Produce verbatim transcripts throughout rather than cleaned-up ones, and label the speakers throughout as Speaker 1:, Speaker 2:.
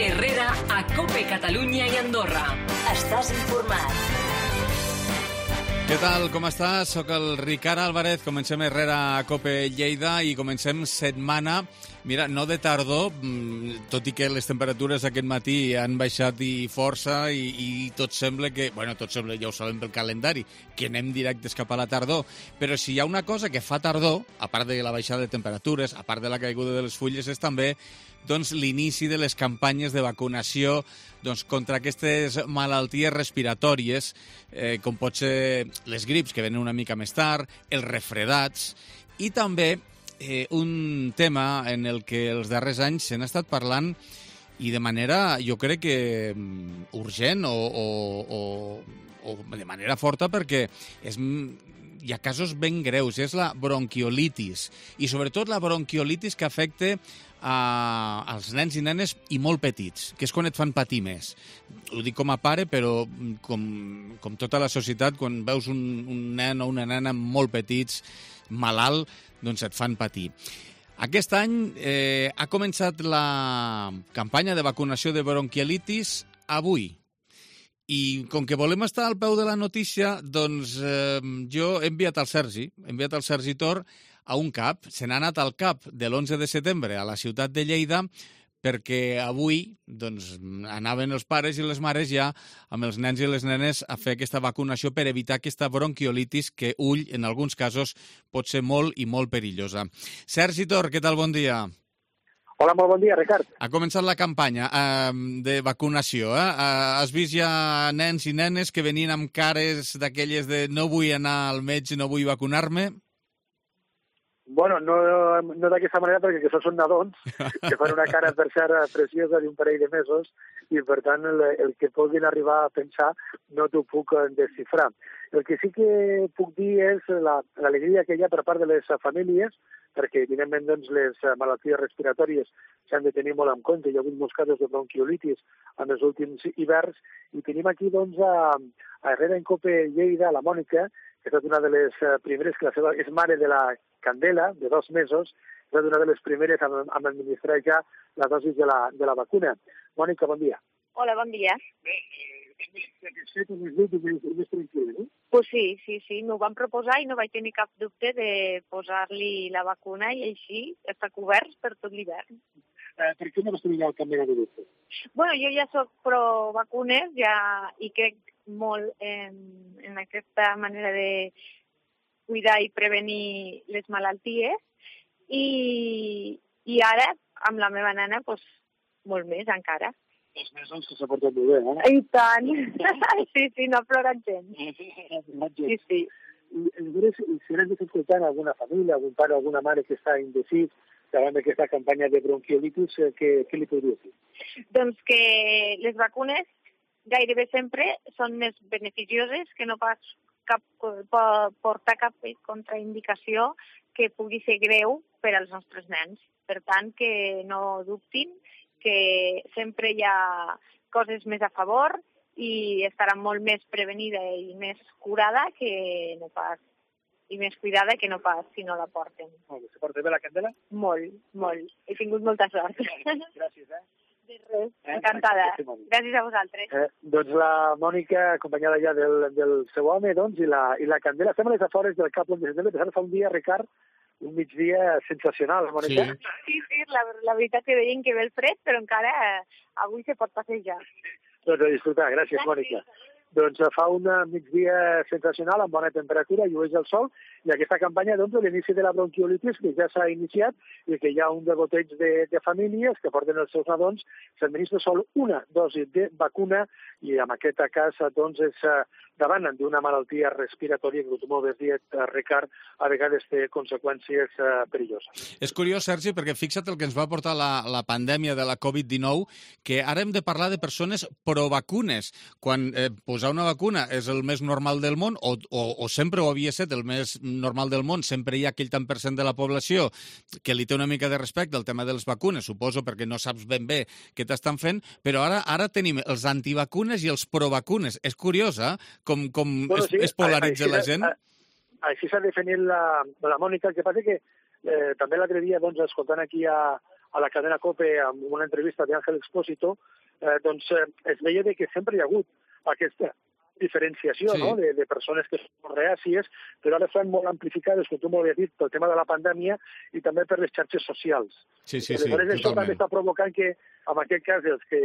Speaker 1: Herrera a COPE Catalunya i Andorra. Estàs informat.
Speaker 2: Què tal, com estàs? Soc el Ricard Álvarez, comencem Herrera a COPE Lleida i comencem setmana, mira, no de tardor, tot i que les temperatures aquest matí han baixat i força i, i tot sembla que, bueno, tot sembla, ja ho sabem pel calendari, que anem directes cap a la tardor, però si hi ha una cosa que fa tardor, a part de la baixada de temperatures, a part de la caiguda de les fulles, és també doncs, l'inici de les campanyes de vacunació doncs, contra aquestes malalties respiratòries, eh, com pot ser les grips, que venen una mica més tard, els refredats, i també eh, un tema en el que els darrers anys se n'ha estat parlant i de manera, jo crec que urgent o, o, o, o de manera forta, perquè és, hi ha casos ben greus, és la bronquiolitis, i sobretot la bronquiolitis que afecta a, als nens i nenes i molt petits, que és quan et fan patir més. Ho dic com a pare, però com, com tota la societat, quan veus un, un nen o una nena molt petits, malalt, doncs et fan patir. Aquest any eh, ha començat la campanya de vacunació de bronquiolitis avui. I com que volem estar al peu de la notícia, doncs eh, jo he enviat al Sergi, he enviat al Sergi Tor a un CAP. Se n'ha anat al CAP de l'onze de setembre a la ciutat de Lleida perquè avui doncs, anaven els pares i les mares ja amb els nens i les nenes a fer aquesta vacunació per evitar aquesta bronquiolitis que, ull, en alguns casos pot ser molt i molt perillosa. Sergi Tor, què tal? Bon dia.
Speaker 3: Hola, molt bon dia, Ricard.
Speaker 2: Ha començat la campanya eh, de vacunació. Eh? Has vist ja nens i nenes que venien amb cares d'aquelles de no vull anar al metge, no vull vacunar-me?
Speaker 3: Bueno, no, no d'aquesta manera, perquè que són nadons, que fan una cara per ser preciosa d'un parell de mesos, i per tant el, el que puguin arribar a pensar no t'ho puc desxifrar. El que sí que puc dir és l'alegria que hi ha per part de les famílies, perquè evidentment doncs, les malalties respiratòries s'han de tenir molt en compte. Hi ha hagut molts casos de bronquiolitis en els últims hiverns, i tenim aquí doncs, a, a Herrera en COPE Lleida, la Mònica, que és una de les primeres, que la seva és mare de la Candela, de dos mesos, és una de les primeres a, a administrar ja la dosis de la, de la vacuna. Mònica, bon dia.
Speaker 4: Hola, bon dia.
Speaker 3: Bé, eh,
Speaker 4: Pues sí, sí, sí, m'ho van proposar i no vaig tenir cap dubte de posar-li la vacuna i així està cobert per tot l'hivern.
Speaker 3: Eh, per què no vas tenir el canvi de dubte?
Speaker 4: Bueno, jo ja soc pro vacunes ja, i crec molt en, en aquesta manera de cuidar i prevenir les malalties, i, i ara, amb la meva nena, pues, molt més encara.
Speaker 3: Els mesos que s'ha portat molt bé, eh?
Speaker 4: I tant! Sí, sí, no ha plorat gens. Sí, sí.
Speaker 3: Aleshores, si has escoltant alguna família, algun pare o alguna mare que està indecis davant d'aquesta campanya de bronquiolitis, què, què li podria dir?
Speaker 4: Doncs que les vacunes gairebé sempre són més beneficioses, que no pas cap, portar cap contraindicació que pugui ser greu per als nostres nens. Per tant, que no dubtin, que sempre hi ha coses més a favor i estarà molt més prevenida i més curada que no pas, i més cuidada que no pas si no la porten.
Speaker 3: Molt bé. Se porta bé la Candela?
Speaker 4: Molt, molt. He tingut molta sort.
Speaker 3: Gràcies, eh?
Speaker 4: De res, encantada. Gràcies a vosaltres.
Speaker 3: Eh, doncs la Mònica, acompanyada ja del, del seu home, doncs, i la, i la Candela, estem a les afores del Cap de Setembre, pensant fa un dia, Ricard, un migdia sensacional, Mònica.
Speaker 2: Sí,
Speaker 4: sí, sí la, la veritat que veiem que ve el fred, però encara eh, avui se pot passejar.
Speaker 3: Doncs a disfrutar, gràcies, gràcies. Mònica. Doncs fa un migdia sensacional, amb bona temperatura, llueix el sol, i aquesta campanya, doncs, l'inici de la bronquiolitis, que ja s'ha iniciat, i que hi ha un degoteig de, de famílies que porten els seus nadons, s'administra sol una dosi de vacuna, i en aquest cas, doncs, és davant d'una malaltia respiratòria que, com bé dit, Ricard, a vegades té conseqüències perilloses.
Speaker 2: És curiós, Sergi, perquè fixa't el que ens va portar la, la pandèmia de la covid dinou, que ara hem de parlar de persones provacunes, quan eh, posar una vacuna és el més normal del món, o, o, o sempre ho havia estat el més normal del món, sempre hi ha aquell tant per cent de la població que li té una mica de respecte al tema de les vacunes, suposo perquè no saps ben bé què t'estan fent, però ara ara tenim els antivacunes i els provacunes. És curiós, eh? Com, com bueno, es, sí, es polaritza la gent.
Speaker 3: Així s'ha definit la, la Mònica. El que passa que eh, també l'altre dia, doncs, escoltant aquí a, a la cadena COPE amb una entrevista d'Àngel Expósito, eh, doncs eh, es veia de que sempre hi ha hagut aquesta diferenciació, sí, no? de, de persones que són reàcies, però ara estan molt amplificades, com tu molt has dit, pel tema de la pandèmia i també per les xarxes socials.
Speaker 2: Sí, sí, sí,
Speaker 3: Aleshores, això
Speaker 2: totalment.
Speaker 3: també està provocant que, en aquest cas, els que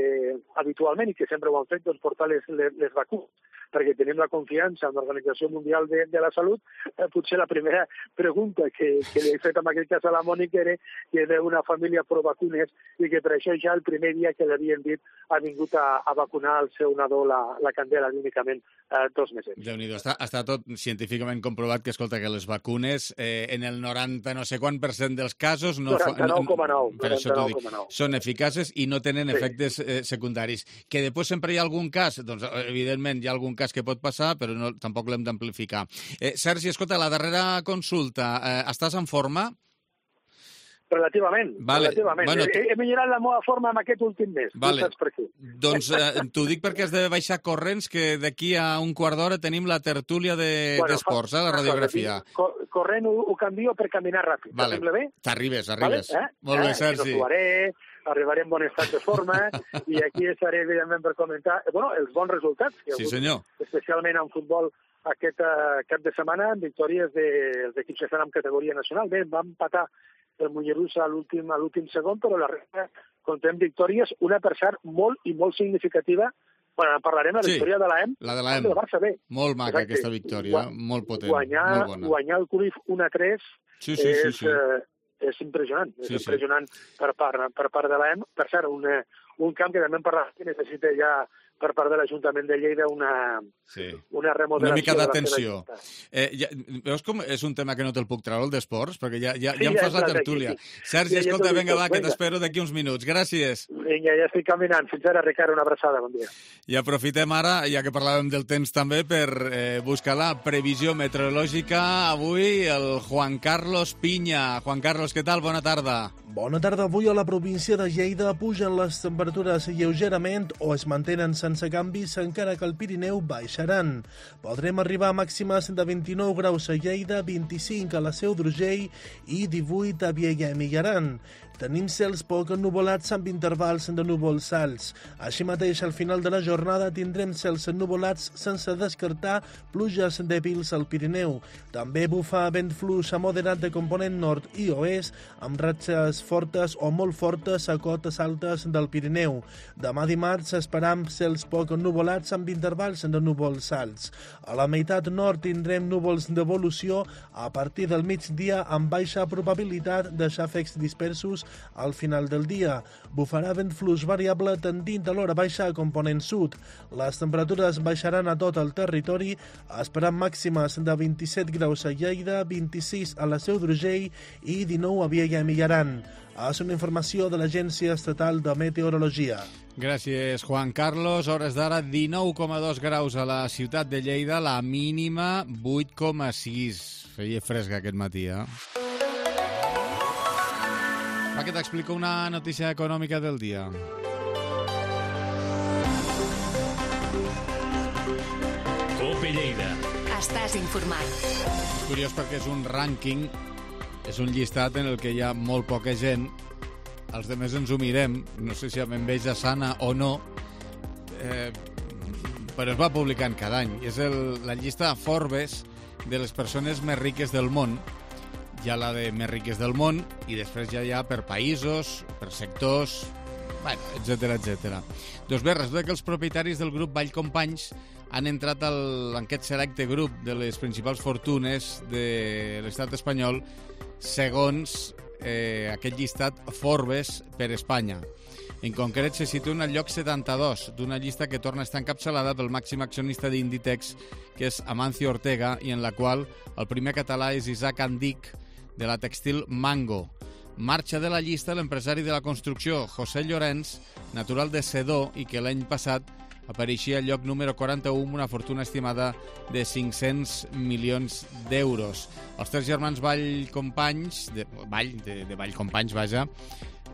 Speaker 3: habitualment i que sempre ho han fet, doncs portar les, les, les vacunes, perquè tenim la confiança en l'Organització Mundial de, de la Salut. Eh, potser la primera pregunta que, que li he fet en aquest cas a la Mònica era que era una família pro vacunes i que per això ja el primer dia que l'havien dit ha vingut a, a vacunar el seu nadó la, la Candela únicament eh, dos mesos.
Speaker 2: Déu-n'hi-do, està, està tot científicament comprovat que, escolta, que les vacunes eh, en el noranta no sé quant per cent dels casos no,
Speaker 3: noranta-nou coma nou,
Speaker 2: no, per això t'ho dic, són eficaces i no tenen
Speaker 3: sí.
Speaker 2: efectes eh, secundaris. Que després sempre hi ha algun cas, doncs evidentment hi ha algun cas que pot passar, però no, tampoc l'hem d'amplificar. Eh, Sergi, escolta, la darrera consulta, eh, estàs en forma?
Speaker 3: Relativament,
Speaker 2: vale.
Speaker 3: relativament.
Speaker 2: Bueno,
Speaker 3: he, he millorat la meva forma en aquest últim mes,
Speaker 2: vale.
Speaker 3: Tu saps per què.
Speaker 2: Doncs eh, t'ho dic perquè has de baixar corrents, que d'aquí a un quart d'hora tenim la tertúlia d'esports, de, eh, la radiografia.
Speaker 3: Cosa, corrent ho, ho canvio per caminar ràpid.
Speaker 2: Vale.
Speaker 3: T'assembla bé?
Speaker 2: T'arribes, arribes.
Speaker 3: Vale? Eh?
Speaker 2: Molt bé,
Speaker 3: eh?
Speaker 2: Sergi.
Speaker 3: No arribaré en bon estat de forma i aquí estaré, evidentment, per comentar bueno, els bons resultats. Que
Speaker 2: sí, senyor.
Speaker 3: Especialment en futbol aquest uh, cap de setmana, amb victòries dels de, equips que estan en categoria nacional. Bé, vam empatar el Molleruss a l'últim a l'últim segon, però la resta contem victòries, una per cert molt i molt significativa. Bueno, parlarem de la
Speaker 2: sí,
Speaker 3: victòria de l'A E M.
Speaker 2: La de l'A E M.
Speaker 3: Del Barça B.
Speaker 2: Molt maca,
Speaker 3: exacte.
Speaker 2: Aquesta victòria, Gua molt potent,
Speaker 3: guanyar,
Speaker 2: molt bona.
Speaker 3: Guanyar el Cruyff un a tres
Speaker 2: sí, sí,
Speaker 3: és,
Speaker 2: sí, sí.
Speaker 3: Eh, és impressionant.
Speaker 2: Sí,
Speaker 3: és impressionant sí. per, part, per part de l'A E M. Per cert, un, un camp que també en parlat que necessita ja per part de l'Ajuntament de Lleida una,
Speaker 2: sí.
Speaker 3: una remodelació.
Speaker 2: Una mica d'atenció.
Speaker 3: Eh,
Speaker 2: ja, veus com és un tema que no te'l puc treure, el d'esports? Perquè ja, ja,
Speaker 3: sí,
Speaker 2: ja em
Speaker 3: ja
Speaker 2: fas la tertúlia. Aquí, sí. Sergi, ja, escolta, ja vinga, va, que t'espero d'aquí uns minuts. Gràcies.
Speaker 3: Vinga, ja estic caminant. Fins ara, Ricard, una abraçada. Bon dia.
Speaker 2: I aprofitem ara, ja que parlàvem del temps també, per eh, buscar la previsió meteorològica. Avui el Juan Carlos Piña. Juan Carlos, què tal? Bona tarda.
Speaker 5: Bona tarda. Avui a la província de Lleida pugen les temperatures lleugerament o es mantenen sense canvis, encara que al Pirineu baixaran. Podrem arribar a màximes de vint-i-nou graus a Lleida, vint-i-cinc a la Seu d'Urgell i divuit a Vielha i Mijaran. Tenim cels poc ennuvolats amb intervals de núvols alts. Així mateix, al final de la jornada tindrem cels ennuvolats sense descartar pluges dèbils al Pirineu. També bufa vent fluix a moderat de component nord i oest, amb ratxes fortes o molt fortes a cotes altes del Pirineu. Demà dimarts esperam cels poc ennuvolats amb intervals de núvols alts. A la meitat nord tindrem núvols d'evolució a partir del migdia amb baixa probabilitat de xàfecs dispersos al final del dia. Bufarà vent fluix variable tendint a l'hora baixa a component sud. Les temperatures baixaran a tot el territori, esperant màximes de vint-i-set graus a Lleida, vint-i-sis a la Seu d'Urgell i dinou a Vielha i Mijaran. És una informació de l'Agència Estatal de Meteorologia.
Speaker 2: Gràcies, Juan Carlos. Hores d'ara, dinou coma dos graus a la ciutat de Lleida, la mínima vuit coma sis. Feia fresca aquest matí, eh? Va, que t'explico una notícia econòmica del dia.
Speaker 1: COPE Lleida. Estàs informat.
Speaker 2: És curiós perquè és un rànquing, és un llistat en el que hi ha molt poca gent. Els demés ens ho mirem, no sé si amb enveja sana o no, eh, però es va publicant cada any. És el, la llista Forbes de les persones més riques del món. Hi ha la de més riques del món i després ja hi ha per països, per sectors, bueno, etcètera, etcètera. Doncs bé, resulta que els propietaris del grup Vallcompanys han entrat al, en aquest selecte grup de les principals fortunes de l'estat espanyol segons eh, aquest llistat Forbes per Espanya. En concret, se situen al lloc setanta-dos d'una llista que torna a estar encapçalada pel màxim accionista d'Inditex, que és Amancio Ortega, i en la qual el primer català és Isaac Andic, de la tèxtil Mango. Marxa de la llista l'empresari de la construcció José Llorenç, natural de Sedó, i que l'any passat apareixia al lloc número quaranta-u amb una fortuna estimada de cinc-cents milions d'euros. Els tres germans Vallcompanys, de, Vall, de, de Vallcompanys, vaja,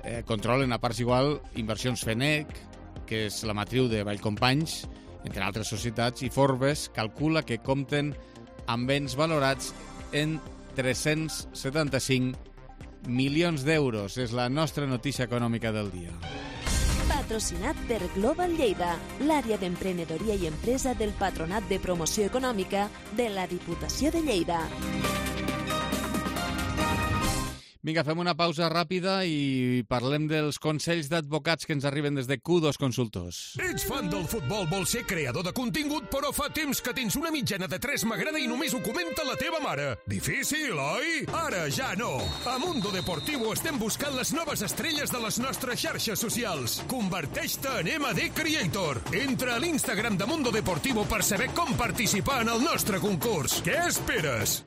Speaker 2: eh, controlen a parts igual Inversions Fenech, que és la matriu de Vallcompanys, entre altres societats, i Forbes calcula que compten amb béns valorats en tres-cents setanta-cinc milions d'euros. És la nostra notícia econòmica del dia.
Speaker 6: Patrocinat per Global Lleida, l'àrea d'emprenedoria i empresa del Patronat de Promoció Econòmica de la Diputació de Lleida.
Speaker 2: Vinga, fem una pausa ràpida i parlem dels consells d'advocats que ens arriben des de Q dos Consultors.
Speaker 7: Ets fan del futbol, vols ser creador de contingut, però fa temps que tens una mitjana de tres m'agrada i només ho comenta la teva mare. Difícil, oi? Ara ja no. A Mundo Deportivo estem buscant les noves estrelles de les nostres xarxes socials. Converteix-te en M D Creator. Entra a l'Instagram de Mundo Deportivo per saber com participar en el nostre concurs. Què esperes?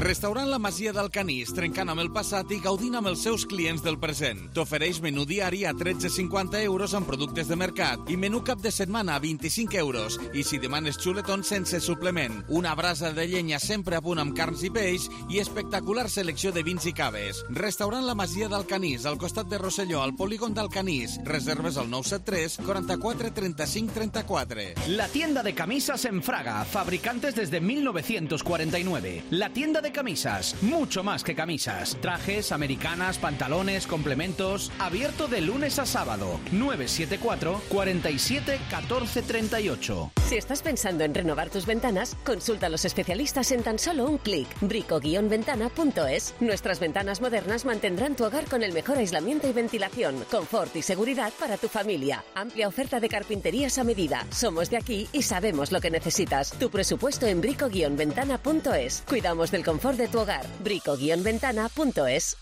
Speaker 2: Restaurant La Masia del Canís, trencant amb el passat i gaudint amb els seus clients del present. T'ofereix menú diari a tretze coma cinquanta euros amb productes de mercat i menú cap de setmana a vint-i-cinc euros. I si demanes xuletons sense suplement. Una brasa de llenya sempre a punt amb carns i peix i espectacular selecció de vins i caves. Restaurant La Masia del Canís, al costat de Rosselló, al polígon del Canís. Reserves al nou set tres, quaranta-quatre, trenta-cinc, trenta-quatre.
Speaker 8: La tienda de camisas en Fraga, fabricantes desde mil novecientos cuarenta y nueve. La tienda de camisas, mucho más que camisas. Trajes, americanas, pantalones, complementos. Abierto de lunes a sábado. nueve siete cuatro, cuarenta y siete, catorce, treinta y ocho.
Speaker 9: Si estás pensando en renovar tus ventanas, consulta a los especialistas en tan solo un clic. brico guion ventana punto es. Nuestras ventanas modernas mantendrán tu hogar con el mejor aislamiento y ventilación, confort y seguridad para tu familia. Amplia oferta de carpinterías a medida. Somos de aquí y sabemos lo que necesitas. Tu presupuesto en brico guion ventana punto es. Cuidamos del confort de tu hogar. brico guion ventana punto es.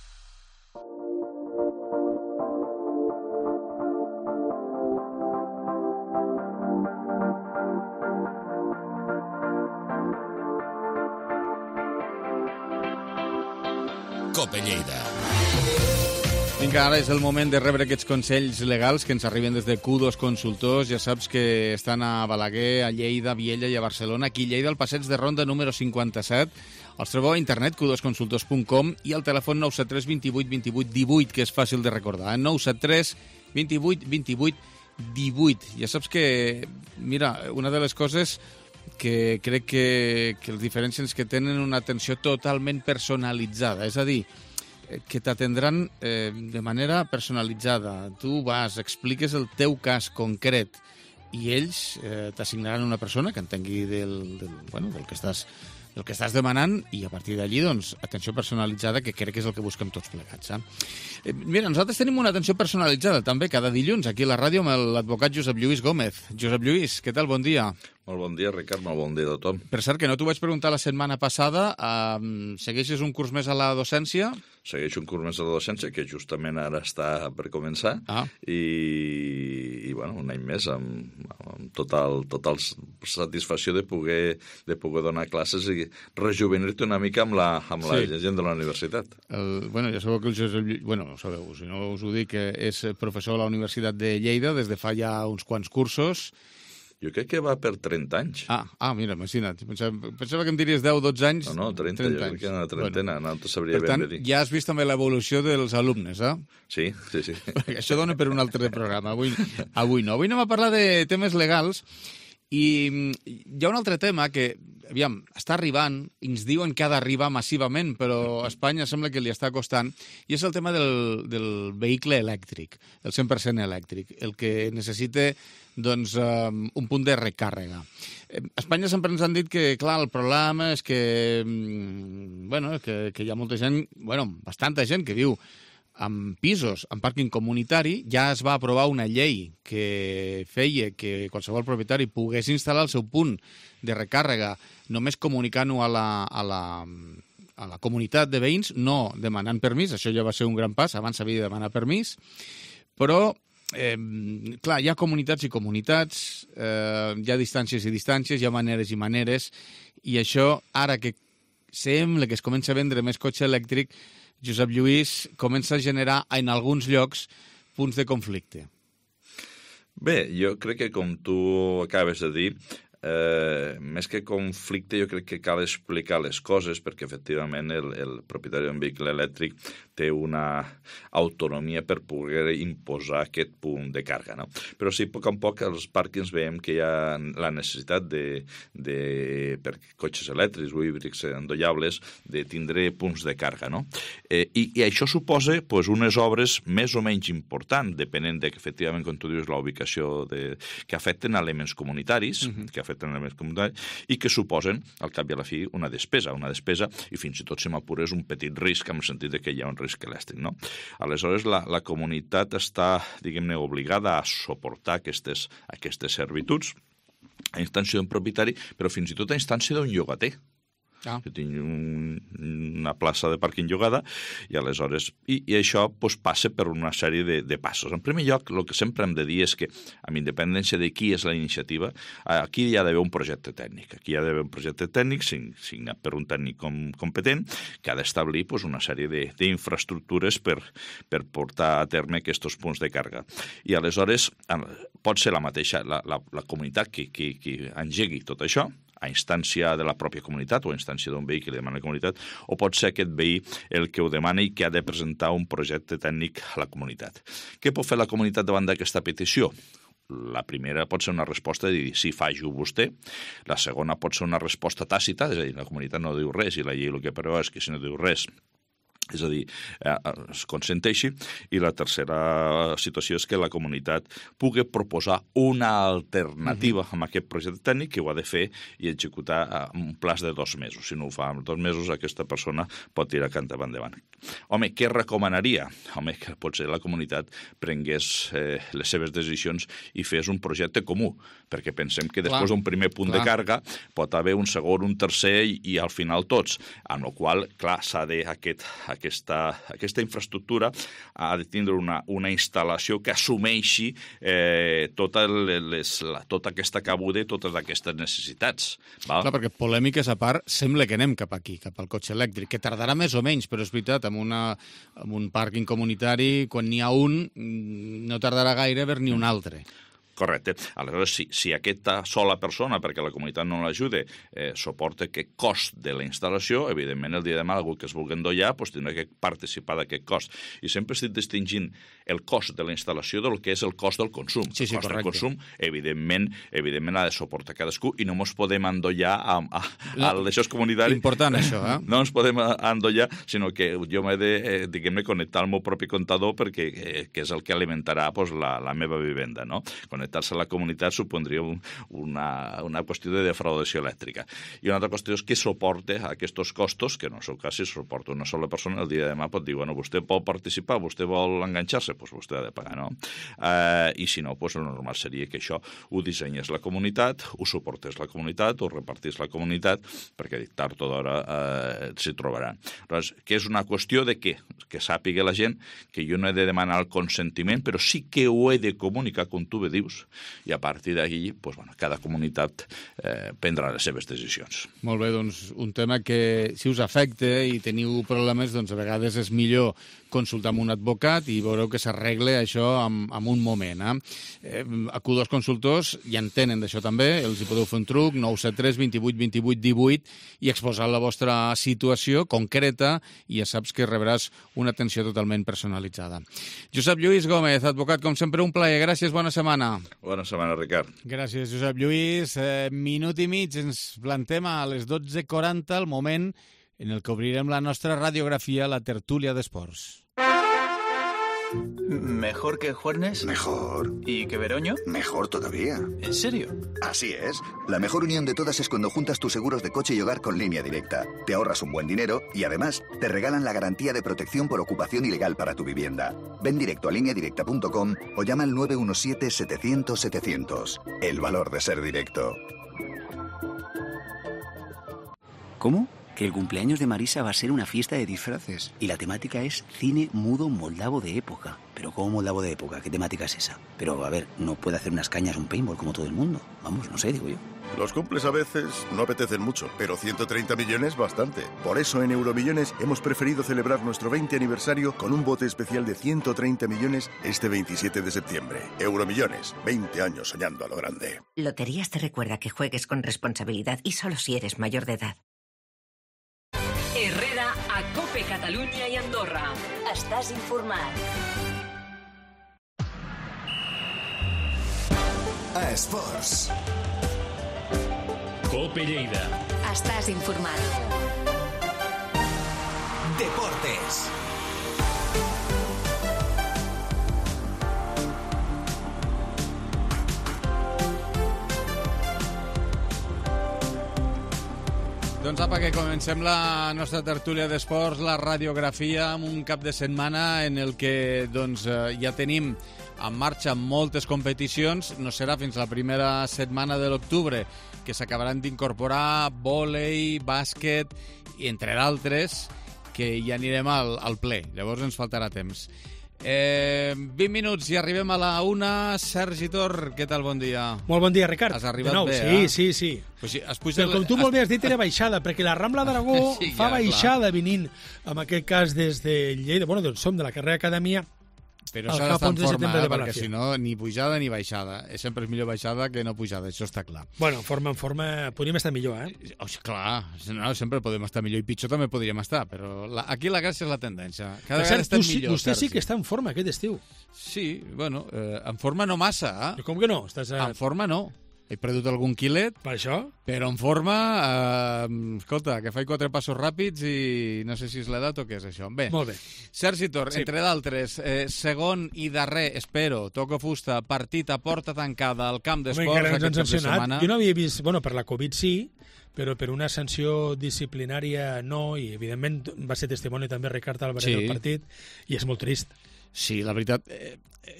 Speaker 7: Cope Lleida.
Speaker 2: Vinga, ara és el moment de rebre aquests consells legals que ens arriben des de Q dos Consultors. Ja saps que estan a Balaguer, a Lleida, a Viella i a Barcelona. Aquí a Lleida, al passeig de Ronda número cinquanta-set. Els trobeu a internet, q dos consultors punt com, i al telèfon nou set tres, vint vuit, vint vuit, divuit, que és fàcil de recordar. Eh? nou set tres, vint vuit, vint vuit, divuit. Ja saps que, mira, una de les coses que crec que, que els diferencien és que tenen una atenció totalment personalitzada. És a dir, que t'atendran eh, de manera personalitzada. Tu vas, expliques el teu cas concret i ells eh, t'assignaran una persona que entengui del, del, bueno, del que estàs el que estàs demanant i a partir d'allí, doncs, atenció personalitzada, que crec que és el que busquem tots plegats. Eh? Eh, mira, nosaltres tenim una atenció personalitzada també cada dilluns aquí a la ràdio amb l'advocat Josep Lluís Gómez. Josep Lluís, què tal? Bon dia.
Speaker 10: Molt bon dia, Ricard, molt bon dia a tothom.
Speaker 2: Per cert, que no t'ho vaig preguntar la setmana passada, eh, segueixes un curs més a la docència?
Speaker 10: Segueixo un curs més a la docència, que justament ara està per començar, ah. i, i bueno, un any més amb, amb total, total satisfacció de poder, de poder donar classes i rejuvenir-te una mica amb la, amb sí. la gent de la universitat.
Speaker 2: El, bueno, ja sabeu que el Josep Lluís, bueno, ho sabeu, si no us ho dic, que és professor a la Universitat de Lleida des de fa ja uns quants cursos.
Speaker 10: Jo crec que va per trenta anys.
Speaker 2: Ah, ah mira, imagina't. Pensava, pensava que em diries deu o dotze anys.
Speaker 10: No, no, trenta, trenta jo crec que era una trentena, bueno, no te sabria
Speaker 2: ben dir. Per tant, ja has vist també l'evolució dels alumnes, eh?
Speaker 10: Sí, sí, sí.
Speaker 2: Perquè això dona per un altre programa. Avui, avui no. Avui anem a parlar de temes legals i hi ha un altre tema que, aviam, està arribant, i ens diuen que ha d'arribar massivament, però a Espanya sembla que li està costant, i és el tema del, del vehicle elèctric, el cent per cent elèctric, el que necessita doncs, um, un punt de recàrrega. A Espanya sempre ens han dit que, clar, el problema és que, um, bueno, que, que hi ha molta gent, bueno, bastanta gent que viu en pisos, en pàrquing comunitari. Ja es va aprovar una llei que feia que qualsevol propietari pogués instal·lar el seu punt de recàrrega només comunicant-ho a la, a la, a la comunitat de veïns, no demanant permís. Això ja va ser un gran pas, abans s'havia de demanar permís, però Eh, clar, hi ha comunitats i comunitats, eh, hi ha distàncies i distàncies, hi ha maneres i maneres, i això, ara que sembla que es comença a vendre més cotxe elèctric, Josep Lluís, comença a generar en alguns llocs punts de conflicte.
Speaker 10: Bé, jo crec que, com tu acabes de dir, eh, més que conflicte, jo crec que cal explicar les coses, perquè efectivament el, el propietari d'un vehicle elèctric té una autonomia per poder imposar aquest punt de càrrega, no? Però sí, a poc a poc, als pàrquings veiem que hi ha la necessitat de, de per cotxes elèctrics o híbrids endollables, de tindre punts de càrrega, no? Eh, i, I això suposa pues, unes obres més o menys importants, depenent de que, efectivament, com tu dius, la ubicació de, que afecten elements comunitaris, uh-huh. que afecten elements comunitaris, i que suposen, al cap i a la fi, una despesa, una despesa, i fins i tot, si m'apures, un petit risc, en el sentit de que hi ha un risc elèctric, no? Aleshores, la, la comunitat està, diguem-ne, obligada a suportar aquestes, aquestes servituds a instància d'un propietari, però fins i tot a instància d'un llogater. Ah. Jo tinc un, una plaça de pàrquing llogada i aleshores i, i això pues, passa per una sèrie de, de passos. En primer lloc, el que sempre hem de dir és que, amb independència de qui és la iniciativa, aquí hi ha d'haver un projecte tècnic. Aquí hi ha d'haver un projecte tècnic signat per un tècnic com, competent que ha d'establir pues, una sèrie d'infraestructures per, per portar a terme aquests punts de càrrega. I aleshores pot ser la mateixa, la, la, la comunitat que, que, que engegui tot això, a instància de la pròpia comunitat o a instància d'un veí que li demana la comunitat, o pot ser aquest veí el que ho demana i que ha de presentar un projecte tècnic a la comunitat. Què pot fer la comunitat davant d'aquesta petició? La primera pot ser una resposta de dir sí, faig-ho vostè. La segona pot ser una resposta tàcita, és a dir, la comunitat no diu res i la llei el que preveu és que si no diu res, és a dir, eh, es consenteixi, i la tercera situació és que la comunitat pugui proposar una alternativa uh-huh. amb aquest projecte tècnic que ho ha de fer i executar en un plaç de dos mesos. Si no ho fa en dos mesos, aquesta persona pot tirar cant endavant. Home, què recomanaria? Home, que potser la comunitat prengués eh, les seves decisions i fes un projecte comú, perquè pensem que després d'un primer punt clar. de càrrega pot haver un segon, un tercer i, i al final tots, amb la qual, clar, s'ha de aquest Aquesta, aquesta infraestructura ha de tindre una, una instal·lació que assumeixi eh, tota, les, la, tota aquesta cabuda i totes aquestes necessitats. Val?
Speaker 2: Clar, perquè polèmiques a part, sembla que anem cap aquí, cap al cotxe elèctric, que tardarà més o menys, però és veritat, amb, una, amb un pàrquing comunitari, quan n'hi ha un, no tardarà gaire a haver-n'hi un altre.
Speaker 10: Correcte. Aleshores, si, si aquesta sola persona, perquè la comunitat no l'ajuda, eh, suporta aquest cost de la instal·lació, evidentment el dia de demà algú que es vulgui endollar pues, tindrà que participar d'aquest cost. I sempre estic distingint el cost de la instal·lació del que és el cost del consum.
Speaker 2: Sí, sí,
Speaker 10: el cost
Speaker 2: correcte.
Speaker 10: del consum, evidentment, evidentment ha de suportar cadascú i no ens podem endollar a, a, a, a l'això comunitari.
Speaker 2: Important, això, eh?
Speaker 10: No ens podem endollar, sinó que jo m'he de, eh, diguem-ne, connectar al meu propi comptador perquè eh, que és el que alimentarà pues, la, la meva vivenda, no? Connectar-se a la comunitat supondria un, una, una qüestió de defraudació elèctrica. I una altra qüestió és que suporta aquests costos, que en el seu cas si suporta una sola persona, el dia de demà pot dir, bueno, vostè pot participar, vostè vol enganxar-se, doncs vostè ha de pagar, no? Eh, I si no, doncs el normal seria que això ho dissenyés la comunitat, ho suportés la comunitat, ho repartís la comunitat, perquè tard o d'hora eh, s'hi trobaran. Llavors, que és una qüestió de què? Que sàpiga la gent que jo no he de demanar el consentiment, però sí que ho he de comunicar, com tu bé dius, i a partir d'ahí, pues, bueno, cada comunitat eh, prendrà les seves decisions.
Speaker 2: Molt bé, doncs un tema que si us afecta i teniu problemes, doncs a vegades és millor consultar amb un advocat i veureu que s'arregle això en, en un moment. Eh? Eh, a Q dos Consultors ja en tenen d'això també, els hi podeu fer un truc, nou set tres, vint vuit, vint vuit, divuit, i exposar la vostra situació concreta i ja saps que rebràs una atenció totalment personalitzada. Josep Lluís Gómez, advocat, com sempre, un plaer. Gràcies, bona setmana.
Speaker 10: Bona setmana, Ricard.
Speaker 2: Gràcies, Josep Lluís. Eh, minut i mig, ens plantem a les dotze quaranta, el moment en el que obrirem la nostra radiografia, la tertúlia d'esports.
Speaker 11: ¿Mejor que Juernes?
Speaker 12: Mejor.
Speaker 11: ¿Y que Veroño?
Speaker 12: Mejor todavía.
Speaker 11: ¿En serio?
Speaker 12: Así es. La mejor unión de todas es cuando juntas tus seguros de coche y hogar con Línea Directa. Te ahorras un buen dinero y además te regalan la garantía de protección por ocupación ilegal para tu vivienda. Ven directo a línea directa punto com o llama al nueve uno siete, setecientos, setecientos. El valor de ser directo.
Speaker 11: ¿Cómo?
Speaker 13: que el cumpleaños de Marisa va a ser una fiesta de disfraces y la temática es cine mudo moldavo de época. Pero ¿cómo moldavo de época? ¿Qué temática es esa? Pero, a ver, no puede hacer unas cañas un paintball como todo el mundo. Vamos, no sé, digo yo.
Speaker 14: Los cumples a veces no apetecen mucho, pero ciento treinta millones bastante. Por eso en Euromillones hemos preferido celebrar nuestro veinte aniversario con un bote especial de ciento treinta millones este veintisiete de septiembre. Euromillones, veinte años soñando a lo grande.
Speaker 15: Loterías te recuerda que juegues con responsabilidad y solo si eres mayor de edad.
Speaker 1: Herrera a Cope Catalunya i Andorra. Estàs informat.
Speaker 16: A Esports.
Speaker 17: Cope Lleida.
Speaker 18: Estàs informat.
Speaker 16: Deportes.
Speaker 2: Doncs apa, que comencem la nostra tertúlia d'esports, la radiografia, amb un cap de setmana en el que doncs, ja tenim en marxa moltes competicions. No serà fins la primera setmana de l'octubre que s'acabaran d'incorporar vòlei, bàsquet, i entre d'altres, que ja anirem al, al ple. Llavors ens faltarà temps. Eh, vint minuts i arribem a la una. Sergi Tor, què tal? Bon dia.
Speaker 19: Molt bon dia, Ricard.
Speaker 2: Has arribat
Speaker 19: de nou,
Speaker 2: bé,
Speaker 19: sí,
Speaker 2: eh?
Speaker 19: sí, sí.
Speaker 2: Pues sí, has pujat...
Speaker 19: Però com tu molt bé has dit, era baixada, perquè la Rambla d'Aragó
Speaker 2: sí,
Speaker 19: fa
Speaker 2: ja,
Speaker 19: baixada clar. Venint, en aquest cas, des de Lleida, bueno, doncs som de la carrera Acadèmia,
Speaker 2: però s'ha d'estar en forma, eh, perquè si no, ni pujada ni baixada. Sempre és millor baixada que no pujada, això està clar.
Speaker 19: Bueno, forma en forma, podríem estar millor, eh?
Speaker 2: Oh, clar, no, sempre podem estar millor, i pitjor també podríem estar, però la, aquí la gràcia és la tendència. Cada vegada estem millor,
Speaker 19: Vostè
Speaker 2: Sergi.
Speaker 19: sí que està en forma aquest estiu.
Speaker 2: Sí, bueno, eh, en forma no massa. Eh?
Speaker 19: Com que no? Estàs a...
Speaker 2: En forma no. He perdut algun quilet.
Speaker 19: Per això?
Speaker 2: Però en forma, eh, escolta, que faig quatre passos ràpids i no sé si és l'edat o què és això. Bé,
Speaker 19: molt bé.
Speaker 2: Sergi Tor, sí. Entre d'altres, eh, segon i darrer, espero, toco fusta, partit a porta tancada al camp d'esports aquest cap de setmana.
Speaker 19: Jo no havia vist, bueno, per la Covid sí, però per una sanció disciplinària no, i evidentment va ser testimoni també Ricard Álvarez sí. del partit, i és molt trist.
Speaker 2: Sí, la veritat, eh,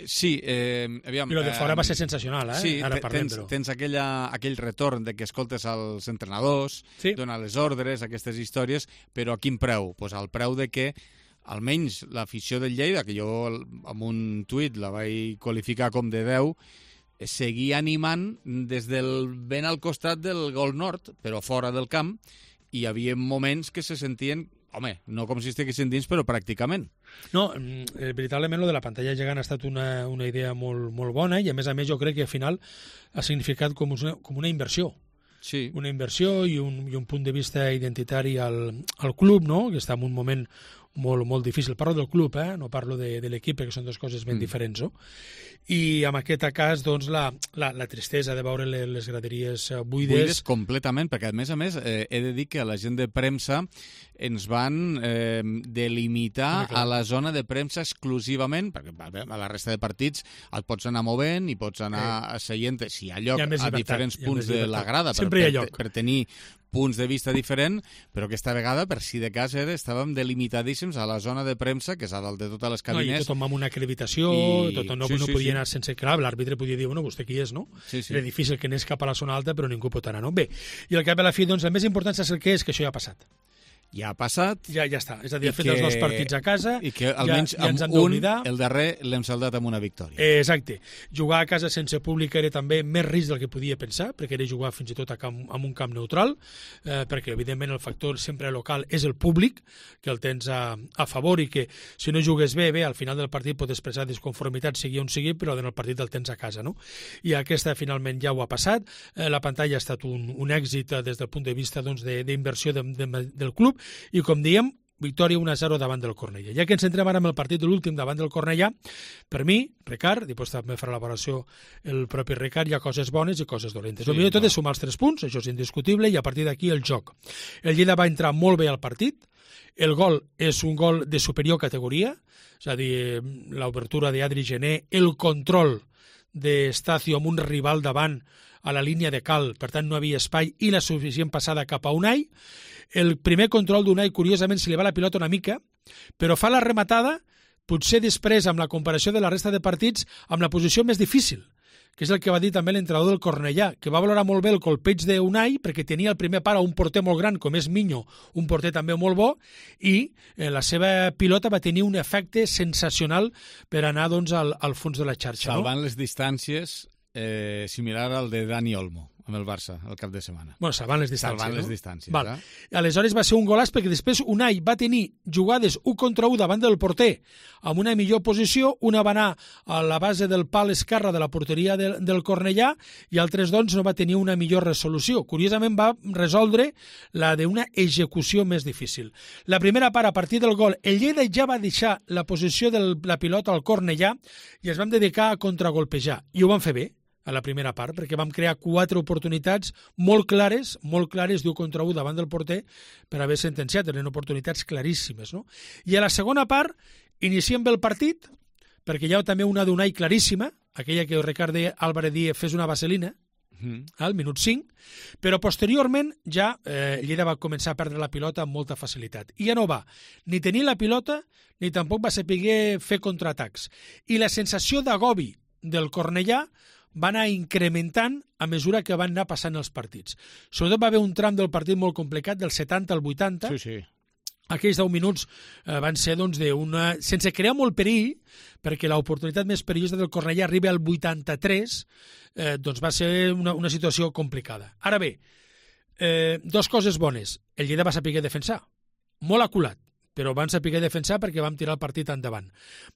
Speaker 2: sí. Eh, aviam,
Speaker 19: I el de fora
Speaker 2: eh,
Speaker 19: va ser sensacional, eh?
Speaker 2: Sí,
Speaker 19: ara parlem,
Speaker 2: tens,
Speaker 19: però.
Speaker 2: tens aquella, aquell retorn de que escoltes als entrenadors,
Speaker 19: sí.
Speaker 2: donar les ordres, aquestes històries, però a quin preu? Pues al preu de que almenys l'afició del Lleida, que jo amb un tuit la vaig qualificar com de deu, seguia animant des del ben al costat del gol nord, però fora del camp, i hi havia moments que se sentien, home, no com si estiguessin dins, però pràcticament.
Speaker 19: No, eh, veritablement, lo de la pantalla gegant ha estat una, una idea molt, molt bona, i a més a més jo crec que al final ha significat com una, com una inversió.
Speaker 2: Sí.
Speaker 19: Una inversió i un, i un punt de vista identitari al, al club, no?, que està en un moment molt, molt difícil. Parlo del club, eh? No parlo de, de l'equip, perquè són dues coses ben mm. diferents, no? I en aquest cas, doncs, la, la, la tristesa de veure les graderies buides...
Speaker 2: Buides completament, perquè a més a més eh, he de dir que la gent de premsa ens van eh, delimitar a la zona de premsa exclusivament, perquè a la resta de partits et pots anar movent i pots anar eh. seient, si hi ha lloc, hi ha a diferents punts de la grada per, per, per tenir punts de vista diferent, però aquesta vegada, per si de cas, era, estàvem delimitadíssims a la zona de premsa, que és a dalt de totes les cabines.
Speaker 19: No, i tothom amb una acreditació, i... tothom no, sí, no sí, podia sí. anar sense clar, l'àrbitre podia dir, bueno, vostè qui és, no?
Speaker 2: Sí, sí.
Speaker 19: Era difícil que anés cap a la zona alta, però ningú pot anar, no? Bé, i al cap a la fi, doncs, el més important és el que és, que això ja ha passat.
Speaker 2: Ja ha passat.
Speaker 19: Ja ja està. És a dir, ha fet que... els dos partits a casa.
Speaker 2: I que almenys
Speaker 19: ja, ja
Speaker 2: amb un, el darrer, l'hem saldat amb una victòria.
Speaker 19: Eh, exacte. Jugar a casa sense públic era també més risc del que podia pensar, perquè era jugar fins i tot a camp, amb un camp neutral, eh, perquè evidentment el factor sempre local és el públic, que el tens a, a favor, i que si no jugues bé, bé, al final del partit pot expressar disconformitat, sigui on sigui, però en el partit el tens a casa, no? I aquesta finalment ja ho ha passat. Eh, la pantalla ha estat un, un èxit eh, des del punt de vista doncs, d'inversió de, de, de, del club, i com diem, victòria un a zero davant del Cornellà. Ja que ens entrem ara amb el partit de l'últim davant del Cornellà, per mi, Ricard, després també farà la valoració el propi Ricard, hi ha coses bones i coses dolentes. Sí, el millor tot és sumar els tres punts, això és indiscutible, i a partir d'aquí el joc. El Lleida va entrar molt bé al partit, el gol és un gol de superior categoria, és a dir, l'obertura d'Adri Gené, el control d'Estacio amb un rival davant a la línia de cal, per tant no havia espai, i la suficient passada cap a Unai. El primer control d'Unai, curiosament, se li va la pilota una mica, però fa la rematada, potser després, amb la comparació de la resta de partits, amb la posició més difícil, que és el que va dir també l'entrenador del Cornellà, que va valorar molt bé el colpeig d'Unai, perquè tenia el primer par a un porter molt gran, com és Miño, un porter també molt bo, i eh, la seva pilota va tenir un efecte sensacional per anar doncs, al, al fons de la xarxa.
Speaker 2: Salvant
Speaker 19: no?
Speaker 2: les distàncies, eh, similar al de Dani Olmo, amb el Barça, el cap de setmana.
Speaker 19: Bueno, salvant les distàncies,
Speaker 2: salvant
Speaker 19: no?
Speaker 2: les distàncies,
Speaker 19: Val.
Speaker 2: eh?
Speaker 19: Aleshores va ser un golaç perquè després Unai va tenir jugades un contra un davant del porter amb una millor posició, una va anar a la base del pal esquerre de la porteria de, del Cornellà i altres doncs no va tenir una millor resolució. Curiosament va resoldre la d'una execució més difícil. La primera part, a partir del gol, el Lleida ja va deixar la posició de la pilota al Cornellà i es van dedicar a contragolpejar i ho van fer bé a la primera part, perquè vam crear quatre oportunitats molt clares, molt clares d'un contra un davant del porter per haver sentenciat, eren oportunitats claríssimes. No? I a la segona part iniciem bé el partit, perquè hi ha també una d'Unai claríssima, aquella que Ricard Álvarez Díez fes una vaselina, mm. al minut cinc, però posteriorment ja eh, Lleida va començar a perdre la pilota amb molta facilitat. I ja no va ni tenir la pilota, ni tampoc va saber fer contraatacs. I la sensació d'agobi del Cornellà va anar incrementant a mesura que van anar passant els partits. Sobretot va haver un tram del partit molt complicat, del setanta al vuitanta.
Speaker 2: Sí, sí.
Speaker 19: Aquells deu minuts eh, van ser doncs, d'una... sense crear molt perill, perquè l'oportunitat més perillosa del Cornellà arriba al vuitanta-tres, eh, doncs va ser una, una situació complicada. Ara bé, eh, dos coses bones. El Lleida va saber defensar, molt aculat, però van saber defensar perquè vam tirar el partit endavant.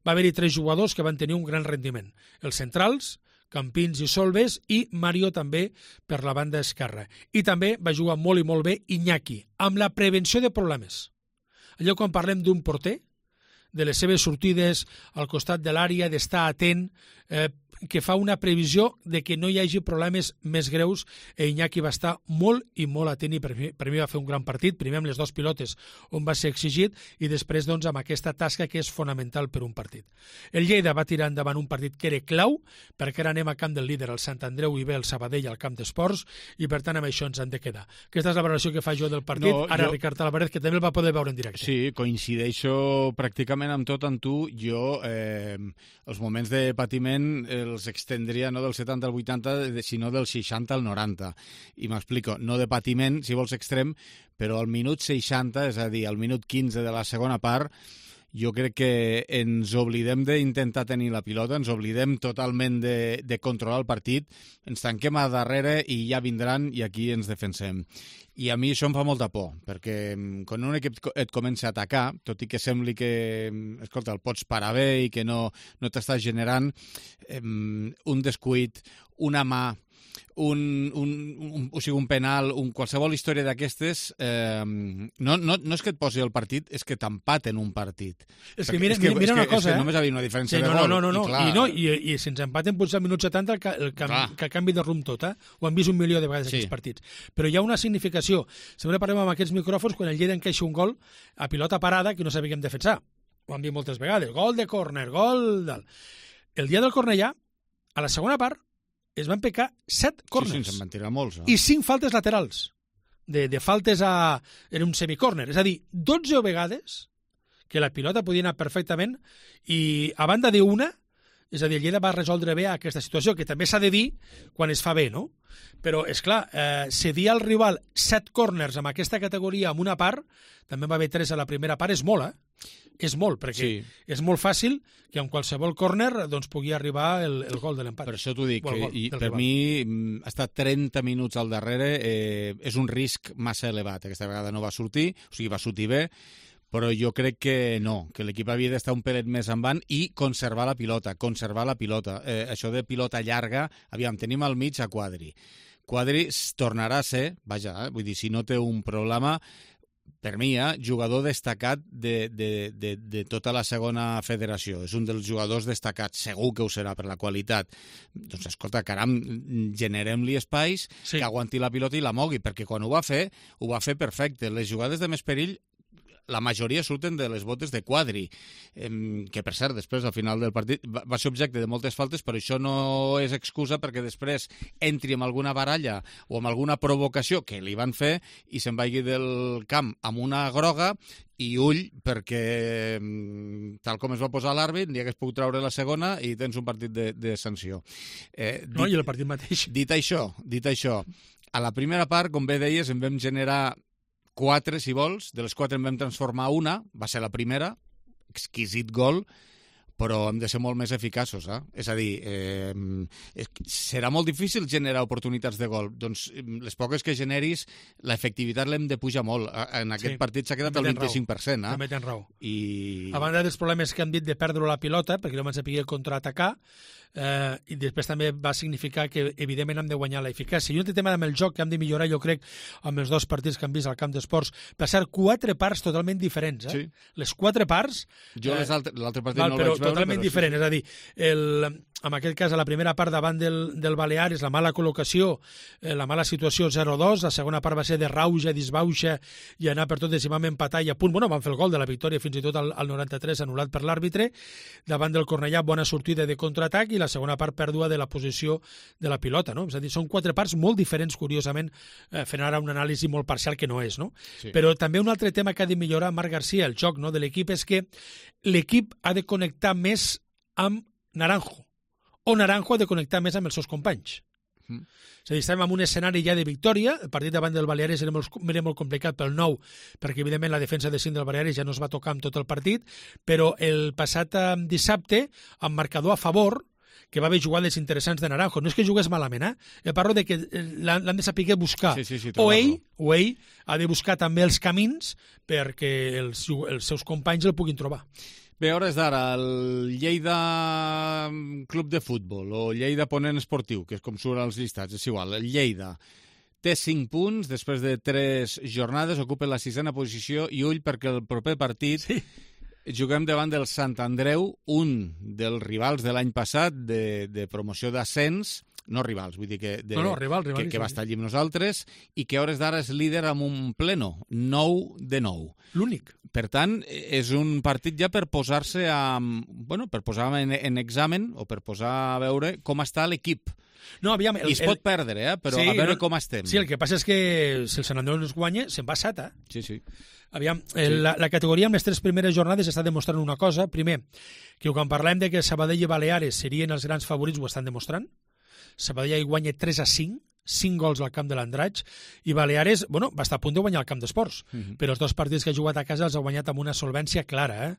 Speaker 19: Va haver-hi tres jugadors que van tenir un gran rendiment. Els centrals, Campins i Solves, i Mario també per la banda esquerra. I també va jugar molt i molt bé Iñaki, amb la prevenció de problemes. Allò quan parlem d'un porter, de les seves sortides al costat de l'àrea, d'estar atent, eh, que fa una previsió de que no hi hagi problemes més greus, i Iñaki va estar molt i molt atent i per mi, per mi va fer un gran partit, primer amb les dues pilotes on va ser exigit i després doncs, amb aquesta tasca que és fonamental per un partit. El Lleida va tirar endavant un partit que era clau, perquè ara anem a camp del líder, el Sant Andreu, i ve el Sabadell al camp d'esports, i per tant amb això ens han de quedar. Aquesta és la valoració que fa jo del partit, no, ara jo... Ricard Álvarez, que també el va poder veure en directe.
Speaker 2: Sí, coincideixo pràcticament amb tot amb tu. Jo, eh, els moments de patiment els extendria no del setanta al vuitanta, sinó del seixanta al noranta. I m'explico, no de patiment, si vols extrem, però al minut seixanta, és a dir, al minut quinze de la segona part, jo crec que ens oblidem d'intentar tenir la pilota, ens oblidem totalment de, de controlar el partit, ens tanquem a darrere i ja vindran i aquí ens defensem. I a mi això em fa molta por, perquè quan un equip et comença a atacar, tot i que sembli que, escolta, el pots parar bé i que no, no t'estàs generant, eh, un descuit, una mà, un, un, un, o sigui, un penal, un, qualsevol història d'aquestes, eh, no, no, no és que et posi el partit, és que t'empaten un partit.
Speaker 19: És que mira, és que, mira una
Speaker 2: és que,
Speaker 19: cosa,
Speaker 2: és que
Speaker 19: eh?
Speaker 2: només havia una diferència
Speaker 19: sí,
Speaker 2: de
Speaker 19: no,
Speaker 2: gol.
Speaker 19: No, no, no,
Speaker 2: i, clar,
Speaker 19: I, no i, i si ens empaten potser al minut setanta, el, el, el, que canvi de rumb tot, eh? Ho hem vist un milió de vegades sí. Aquests partits. Però hi ha una significació. Sempre parlem amb aquests micròfons quan el Lleida encaixa un gol a pilota parada que no sabíem defensar. Ho hem vist moltes vegades. Gol de córner, gol del... El dia del Cornellà, a la segona part, es van pecar set córners.
Speaker 2: Sí, sí, se'n van tirar molts. Eh?
Speaker 19: I cinc faltes laterals. De, de faltes a... Era un semicórner. És a dir, dotze vegades que la pilota podia anar perfectament i a banda d'una, és a dir, el Lleida va resoldre bé aquesta situació, que també s'ha de dir quan es fa bé, no? Però, és clar, eh, cedir al rival set córners amb aquesta categoria en una part, també va haver tres a la primera part, és molt, eh? És molt, perquè sí. És molt fàcil que en qualsevol córner doncs, pugui arribar el, el gol de l'empat.
Speaker 2: Per això t'ho dic, que, i per rival. Mi estar trenta minuts al darrere eh, és un risc massa elevat. Aquesta vegada no va sortir, o sigui, va sortir bé, però jo crec que no, que l'equip havia d'estar un pelet més en van i conservar la pilota, conservar la pilota. Eh, això de pilota llarga, aviam, tenim al mig a Quadri. Quadri tornarà a ser, vaja, eh, vull dir, si no té un problema, per mi, eh, jugador destacat de, de, de, de tota la segona federació. És un dels jugadors destacats, segur que ho serà per la qualitat. Doncs, escolta, caram, generem-li espais, sí. Que aguanti la pilota i la mogui, perquè quan ho va fer, ho va fer perfecte. Les jugades de més perill la majoria surten de les botes de Quadri, que per cert, després, al final del partit, va ser objecte de moltes faltes, però això no és excusa perquè després entri amb alguna baralla o amb alguna provocació que li van fer i se'n vagi del camp amb una groga i ull, perquè tal com es va posar l'àrbit, ni hagués pogut treure la segona i tens un partit de, de sanció. Eh, dit,
Speaker 19: no, i el partit mateix.
Speaker 2: Dit això, dit això, a la primera part, com bé deies, en vam generar quatre, si vols, de les quatre en vam transformar una, va ser la primera, exquisit gol, però hem de ser molt més eficaços, eh? És a dir, eh, serà molt difícil generar oportunitats de gol. Doncs les poques que generis, l'efectivitat l'hem de pujar molt. En aquest sí, partit s'ha quedat al vint-i-cinc per cent. Eh?
Speaker 19: També tens raó.
Speaker 2: I...
Speaker 19: A banda dels problemes que han dit de perdre la pilota, perquè no van saber contraatacar, eh, i després també va significar que, evidentment, hem de guanyar l'eficàcia. I un altre tema amb el joc que hem de millorar, jo crec, amb els dos partits que hem vist al camp d'esports, per ser quatre parts totalment diferents. Eh? Sí. Les quatre parts...
Speaker 2: Jo eh, l'altre partit val, no el vaig veure,
Speaker 19: totalment diferent, sí. És a dir, el, en aquest cas, a la primera part davant del, del Baleares, la mala col·locació, eh, la mala situació zero dos, la segona part va ser de rauja, disbauxa, i anar per tot, i vam empatar i a punt, bueno, van fer el gol de la victòria fins i tot al, al noranta-tres, anul·lat per l'àrbitre, davant del Cornellà, bona sortida de contraatac, i la segona part pèrdua de la posició de la pilota, no? És a dir, són quatre parts molt diferents, curiosament, eh, fent ara una anàlisi molt parcial que no és, no? Sí. Però també un altre tema que ha de millorar Marc García, el joc, no?, de l'equip, és que l'equip ha de connectar més amb Naranjo, o Naranjo ha de connectar més amb els seus companys. Mm. És a dir, estem en un escenari ja de victòria, el partit davant del Baleares era molt, era molt complicat pel nou, perquè evidentment la defensa de cinc del Baleares ja no es va tocar amb tot el partit, però el passat eh, dissabte, amb marcador a favor, que va haver jugades interessants de Naranjo. No és que jugués malament, eh? Jo parlo de que l'han de saber buscar.
Speaker 2: Sí, sí, sí,
Speaker 19: o, ell, o ell ha de buscar també els camins perquè els, els seus companys el puguin trobar.
Speaker 2: Bé, a hores d'ara, el Lleida Club de Futbol o Lleida Ponent Esportiu, que és com surt als llistats, és igual, el Lleida té cinc punts, després de tres jornades, ocupa la sisena posició i ull perquè el proper partit sí. juguem davant del Sant Andreu, un dels rivals de l'any passat de, de promoció d'ascens, no rivals, vull dir que, de,
Speaker 19: no, no, rival, rival,
Speaker 2: que, que va estar allí amb nosaltres i que a hores d'ara és líder amb un pleno, nou de nou.
Speaker 19: L'únic.
Speaker 2: Per tant, és un partit ja per posar-se a, bueno, per posar en, en examen o per posar a veure com està l'equip.
Speaker 19: No, aviam, el,
Speaker 2: I es pot el... perdre, eh? Però sí, a veure no, com estem.
Speaker 19: Sí, el que passa és que si el Sant Andreu no es guanya, se'n va sata.
Speaker 2: Sí, sí.
Speaker 19: Aviam, sí. la, la categoria amb les tres primeres jornades està demostrant una cosa. Primer, que quan parlem de que Sabadell i Baleares serien els grans favorits, ho estan demostrant. Sabadell hi guanya tres a cinc, cinc gols al camp de l'Andratx, i Baleares, bueno, va estar a punt de guanyar el camp d'esports, uh-huh. però els dos partits que ha jugat a casa els ha guanyat amb una solvència clara, eh?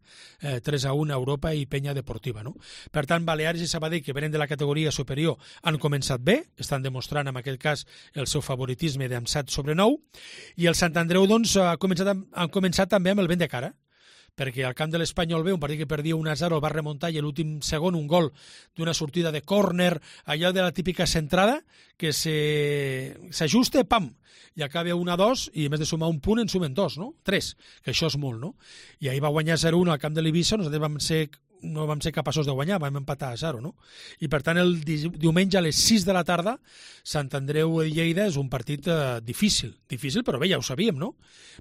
Speaker 19: eh tres a un a Europa i Penya Deportiva, no? Per tant, Baleares i Sabadell, que venen de la categoria superior, han començat bé, estan demostrant en aquest cas el seu favoritisme d'en set sobre nou, i el Sant Andreu, doncs, ha començat, han començat també amb el vent de cara, perquè al camp de l'Espanyol B, un partit que perdia un a zero, el va remuntar i l'últim segon un gol d'una sortida de córner, allò de la típica centrada, que s'ajusta, pam, i acaba un a dos, i a més de sumar un punt en sumen dos, no? Tres, que això és molt, no? I ahir va guanyar zero a un al camp de l'Eivissa, nosaltres vam ser no vam ser capaços de guanyar, vam empatar a zero, no? I per tant, el diumenge a les sis de la tarda, Sant Andreu i Lleida és un partit eh, difícil, difícil, però bé, ja ho sabíem, no?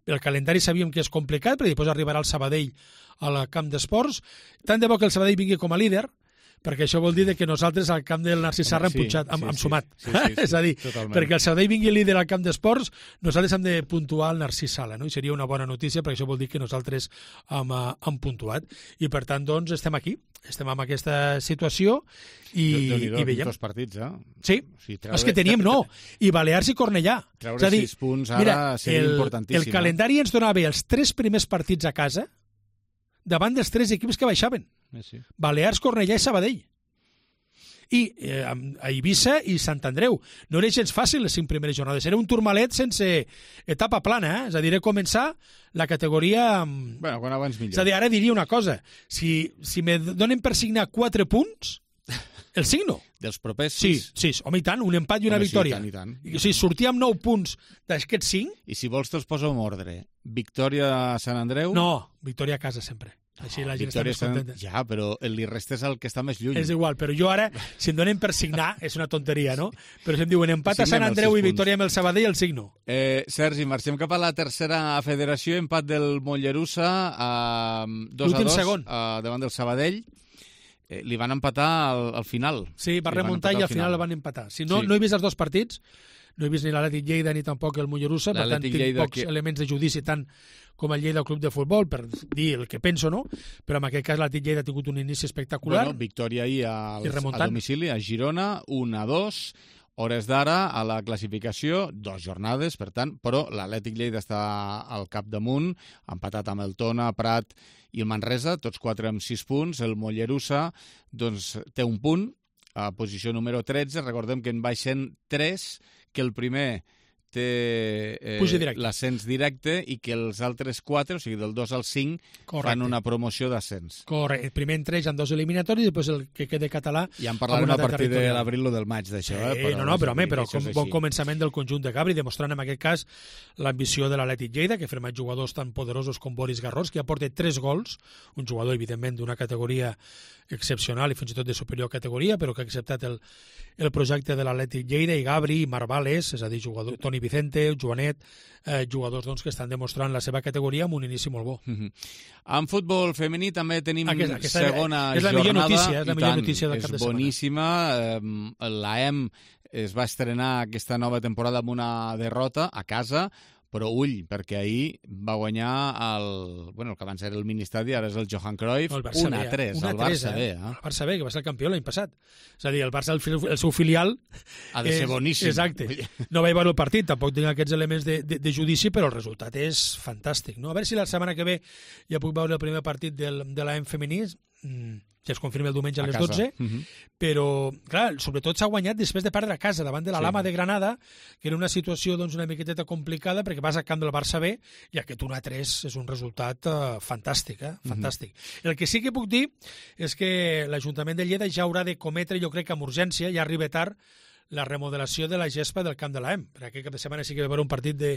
Speaker 19: El calendari sabíem que és complicat, però després arribarà el Sabadell al camp d'esports. Tant de bo que el Sabadell vingui com a líder, perquè això vol dir que nosaltres al camp del Narcís Sarra hem, sí, punxat, hem, sí, hem sumat. Sí, sí, sí, és a dir, totalment. Perquè el Sabadell vingui líder al camp d'esports, nosaltres hem de puntuar el Narcís Sala, no? I seria una bona notícia, perquè això vol dir que nosaltres hem, hem puntuat. I per tant, doncs, estem aquí, estem en aquesta situació i, i veiem.
Speaker 2: Dos partits, eh?
Speaker 19: Sí, o sigui, treure... els que teníem no, i Balears i Cornellà.
Speaker 2: Treure és a dir, sis punts ara mira, seria
Speaker 19: el,
Speaker 2: importantíssim.
Speaker 19: El calendari ens donava els tres primers partits a casa davant dels tres equips que baixaven.
Speaker 2: Eh, sí.
Speaker 19: Balears, Cornellà i Sabadell. I eh, a Eivissa i Sant Andreu. No era gens fàcil les cinc primeres jornades. Era un turmalet sense etapa plana, eh? És a dir, començar la categoria...
Speaker 2: Bueno, quan abans millor.
Speaker 19: És a dir, ara diria una cosa. Si, si me donen per signar quatre punts, el signo.
Speaker 2: Dels propers
Speaker 19: sis? Sí, sí, home, i tant, un empat i una
Speaker 2: home,
Speaker 19: victòria.
Speaker 2: Sí, i tant, i tant.
Speaker 19: O sigui, sortir amb nou punts d'aquests cinc...
Speaker 2: I si vols te'ls poso en ordre. Victòria a Sant Andreu?
Speaker 19: No, victòria a casa sempre. Així la gent està més contenta.
Speaker 2: Ja, però li restes el que està més lluny.
Speaker 19: És igual, però jo ara, si em donen per signar, és una tonteria, no? Però si em diuen empat a Sant Andreu i victòria amb el Sabadell, el signo.
Speaker 2: Eh, Sergi, marxem cap a la tercera federació, empat del Mollerussa, eh, dos a dos, eh, davant del Sabadell. Eh, li van empatar al, al final.
Speaker 19: Sí, va remuntar i al final el van empatar. Si no,
Speaker 2: sí.
Speaker 19: no he vist els dos partits, no he vist ni l'Atlètic Lleida ni tampoc el Mollerussa, per tant tinc Lleida pocs que... elements de judici tant com el Lleida Club de Futbol per dir el que penso, no? Però en aquest cas l'Atlètic Lleida ha tingut un inici espectacular.
Speaker 2: Bueno, victòria ahir a, a domicili, a Girona, un a dos, hores d'ara a la classificació, dos jornades, per tant, però l'Atlètic Lleida està al capdamunt, empatat amb el Tona, Prat i el Manresa, tots quatre amb sis punts. El Mollerussa doncs, té un punt, a posició número tretze, recordem que en baixen tres, que el primer té eh, l'ascens directe i que els altres quatre, o sigui, del dos al cinc, correcte, fan una promoció d'ascens.
Speaker 19: Correcte. El primer en tres en dos eliminatoris i després el que quede català...
Speaker 2: Ja en parlarem a partir de l'abril o del maig d'això.
Speaker 19: Sí,
Speaker 2: eh? Però
Speaker 19: no, no, però, home, però com bon començament del conjunt de Gabri, demostrant en aquest cas l'ambició de l'Atlètic Lleida, que ha firmat jugadors tan poderosos com Boris Garros, que aporta tres gols, un jugador, evidentment, d'una categoria excepcional i fins i tot de superior categoria, però que ha acceptat el, el projecte de l'Atlètic Lleida, i Gabri, i Marvales, és a dir, jugador, Toni Vicente, Joanet, eh, jugadors doncs, que estan demostrant la seva categoria amb un inici molt bo.
Speaker 2: Mm-hmm. En futbol femení també tenim
Speaker 19: aquesta, aquesta
Speaker 2: segona
Speaker 19: és la
Speaker 2: jornada.
Speaker 19: Millor notícia, és la millor
Speaker 2: tant,
Speaker 19: notícia del cap de setmana.
Speaker 2: És boníssima. Eh, L'A E M es va estrenar aquesta nova temporada amb una derrota a casa, però ull, perquè ahir va guanyar el, bueno, el que abans era el Ministadi, ara és el Johan Cruyff, un a tres, el Barça B. Eh?
Speaker 19: El Barça B, que va ser el campió l'any passat. És a dir, el Barça, el, el seu filial...
Speaker 2: Ha de ser és, boníssim.
Speaker 19: Exacte. No vaig veure el partit, tampoc tinc aquests elements de, de, de judici, però el resultat és fantàstic. No? A veure si la setmana que ve ja puc veure el primer partit del, de l'A E M femení, mm, ja es confirma el diumenge a les dotze, uh-huh. Però, clar, sobretot s'ha guanyat després de perdre a casa, davant de la sí. Lama de Granada, que era una situació doncs, una miqueteta complicada, perquè vas al camp del Barça B, i aquest un a tres és un resultat uh, fantàstic, eh? Fantàstic. Uh-huh. El que sí que puc dir és que l'Ajuntament de Lleida ja haurà de cometre, jo crec que amb urgència, ja arriba tard, la remodelació de la gespa del camp de l'A E M. Per aquest cap de setmana sí que va haver un partit de,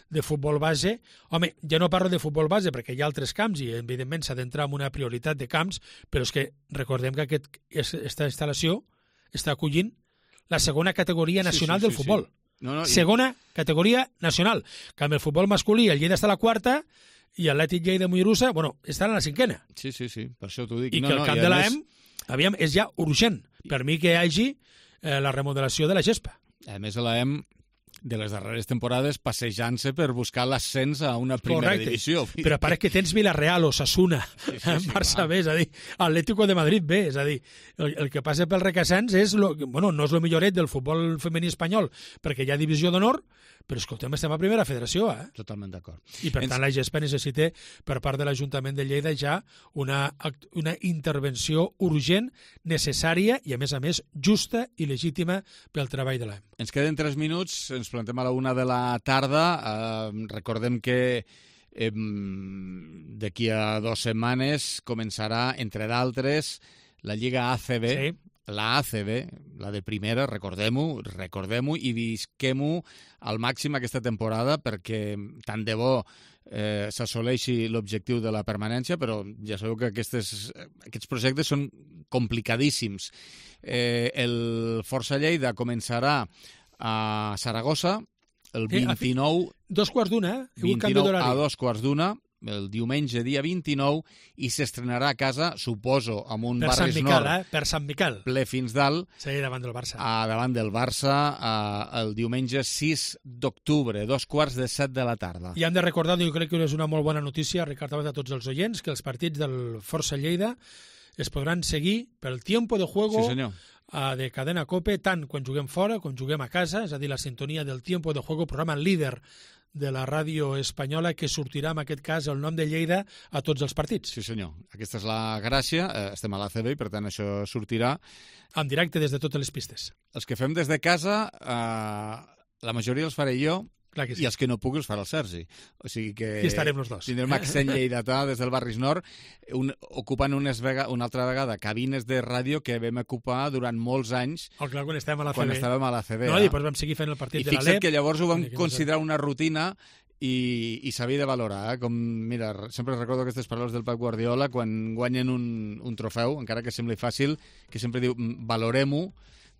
Speaker 19: de futbol base. Home, ja no parlo de futbol base perquè hi ha altres camps i, evidentment, s'ha d'entrar en una prioritat de camps, però és que recordem que aquest, aquesta instal·lació està acollint la segona categoria nacional sí, sí, sí, del futbol. Sí. No, no, segona i... categoria nacional. Que amb el futbol masculí el Lleida està a la quarta i l'Atlètic Lleida Mollerussa, bueno, estan a la cinquena.
Speaker 2: Sí, sí, sí, per això t'ho dic.
Speaker 19: I
Speaker 2: no,
Speaker 19: que el
Speaker 2: no,
Speaker 19: camp de l'A E M, aviam, és ja urgent. Per mi que hi hagi Eh, la remodelació de la gespa.
Speaker 2: A més, l'A E M de les darreres temporades passejant-se per buscar l'ascens a una primera
Speaker 19: Correcte.
Speaker 2: divisió.
Speaker 19: Però pare que tens Villarreal, Osasuna, sí, sí, sí, Barça B, és a dir, Atlético de Madrid B, és a dir, el, el que passa pel Requesens és, lo, bueno, no és el milloret del futbol femení espanyol, perquè hi ha divisió d'honor, però escoltem, estem a primera federació, eh?
Speaker 2: Totalment d'acord.
Speaker 19: I per Ens... tant la gespa necessita per part de l'Ajuntament de Lleida ja una, una intervenció urgent, necessària i a més a més justa i legítima pel treball de l'A E M.
Speaker 2: Ens queden tres minuts, ens plantem a la una de la tarda. Eh, recordem que eh, d'aquí a dues setmanes començarà, entre d'altres, la Lliga A C B, sí. La A C B, la de primera, recordem-ho, recordem-ho i visquem-ho al màxim aquesta temporada perquè tant de bo eh, s'assoleixi l'objectiu de la permanència, però ja sabeu que aquestes, aquests projectes són complicadíssims. Eh, el Força Lleida començarà a Saragossa el vint-i-nou...
Speaker 19: Dos quarts d'una, eh?
Speaker 2: vint-i-nou a dos quarts d'una, el diumenge, dia vint-i-nou, i s'estrenarà a casa, suposo, amb un
Speaker 19: per
Speaker 2: Barris
Speaker 19: Sant Miquel,
Speaker 2: Nord
Speaker 19: eh? Per Sant Miquel.
Speaker 2: ple fins dalt.
Speaker 19: Sí, davant del Barça.
Speaker 2: A, davant del Barça, a, el diumenge sis d'octubre, dos quarts de set de la tarda.
Speaker 19: I hem de recordar, jo crec que és una molt bona notícia, Ricard, a tots els oients, que els partits del Força Lleida es podran seguir pel tiempo de juego
Speaker 2: sí,
Speaker 19: uh, de Cadena COPE, tant quan juguem fora com juguem a casa, és a dir, la sintonia del tiempo de juego, programa líder de la ràdio espanyola, que sortirà, en aquest cas, el nom de Lleida a tots els partits.
Speaker 2: Sí, senyor. Aquesta és la gràcia. Eh, estem a l'A C B i, per tant, això sortirà
Speaker 19: en directe des de totes les pistes.
Speaker 2: Els que fem des de casa, eh, la majoria els faré jo,
Speaker 19: clar que sí.
Speaker 2: I els que no puc els farà el Sergi. O sigui que
Speaker 19: I estarem els dos.
Speaker 2: Tindrem accent lleidatà des del Barris Nord, un, ocupant unes vega, una altra vegada cabines de ràdio que vam ocupar durant molts anys.
Speaker 19: Oh, clar, quan estàvem a la C B.
Speaker 2: Quan estàvem a la C B.
Speaker 19: No, i després vam seguir fent el partit
Speaker 2: I
Speaker 19: de l'Alep.
Speaker 2: I fixa't que llavors ho vam considerar una rutina i, i s'havia de valorar, eh? Com, mira, sempre recordo aquestes paraules del Pep Guardiola quan guanyen un, un trofeu, encara que sembli fàcil, que sempre diu, valorem-ho,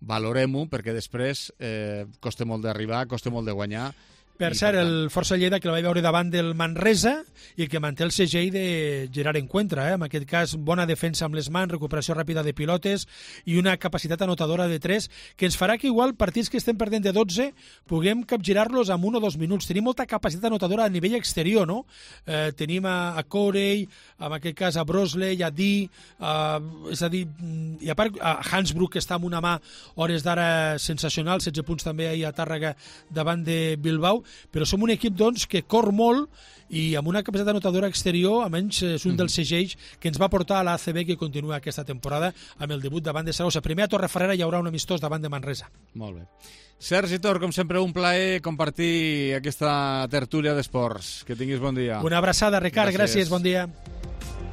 Speaker 2: valorem-ho, perquè després eh, costa molt d'arribar, costa molt de guanyar.
Speaker 19: Per cert, el Força Lleida, que la vaig veure davant del Manresa i que manté el segell de Gerard Encuentra, eh? En aquest cas, bona defensa amb les mans, recuperació ràpida de pilotes i una capacitat anotadora de tres, que ens farà que igual partits que estem perdent de dotze puguem capgirar-los en un o dos minuts. Tenim molta capacitat anotadora a nivell exterior, no? Eh, tenim a, a Corey, en aquest cas a Brosley, a Di, a, és a dir, i a part a Hansbrook, que està amb una mà hores d'ara sensacional, setze punts també ahir a Tàrrega davant de Bilbao, però som un equip doncs, que cor molt i amb una capacitat anotadora exterior, almenys és un dels segells que ens va portar a l'A C B, que continua aquesta temporada amb el debut davant de Saragossa. Primer a Torrefarrera hi haurà un amistós davant de Manresa.
Speaker 2: Molt bé. Sergi Tor, com sempre, un plaer compartir aquesta tertúlia d'esports. Que tinguis bon dia.
Speaker 19: Una abraçada, Ricard. Gràcies, Gràcies bon dia.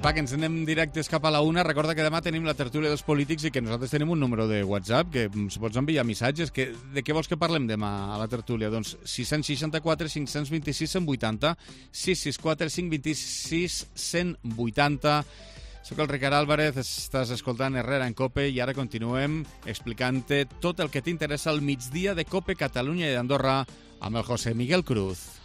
Speaker 2: Va, que ens anem directes cap a la una. Recorda que demà tenim la tertúlia dels polítics i que nosaltres tenim un número de WhatsApp que ens pots enviar missatges. Que, de què vols que parlem demà a la tertúlia? Doncs sis seixanta quatre cinc vint sis cent vuitanta, sis sis quatre cinc vint sis cent vuitanta. Soc el Ricard Álvarez, estàs escoltant Herrera en Cope i ara continuem explicant-te tot el que t'interessa al migdia de Cope Catalunya i d'Andorra amb el José Miguel Cruz.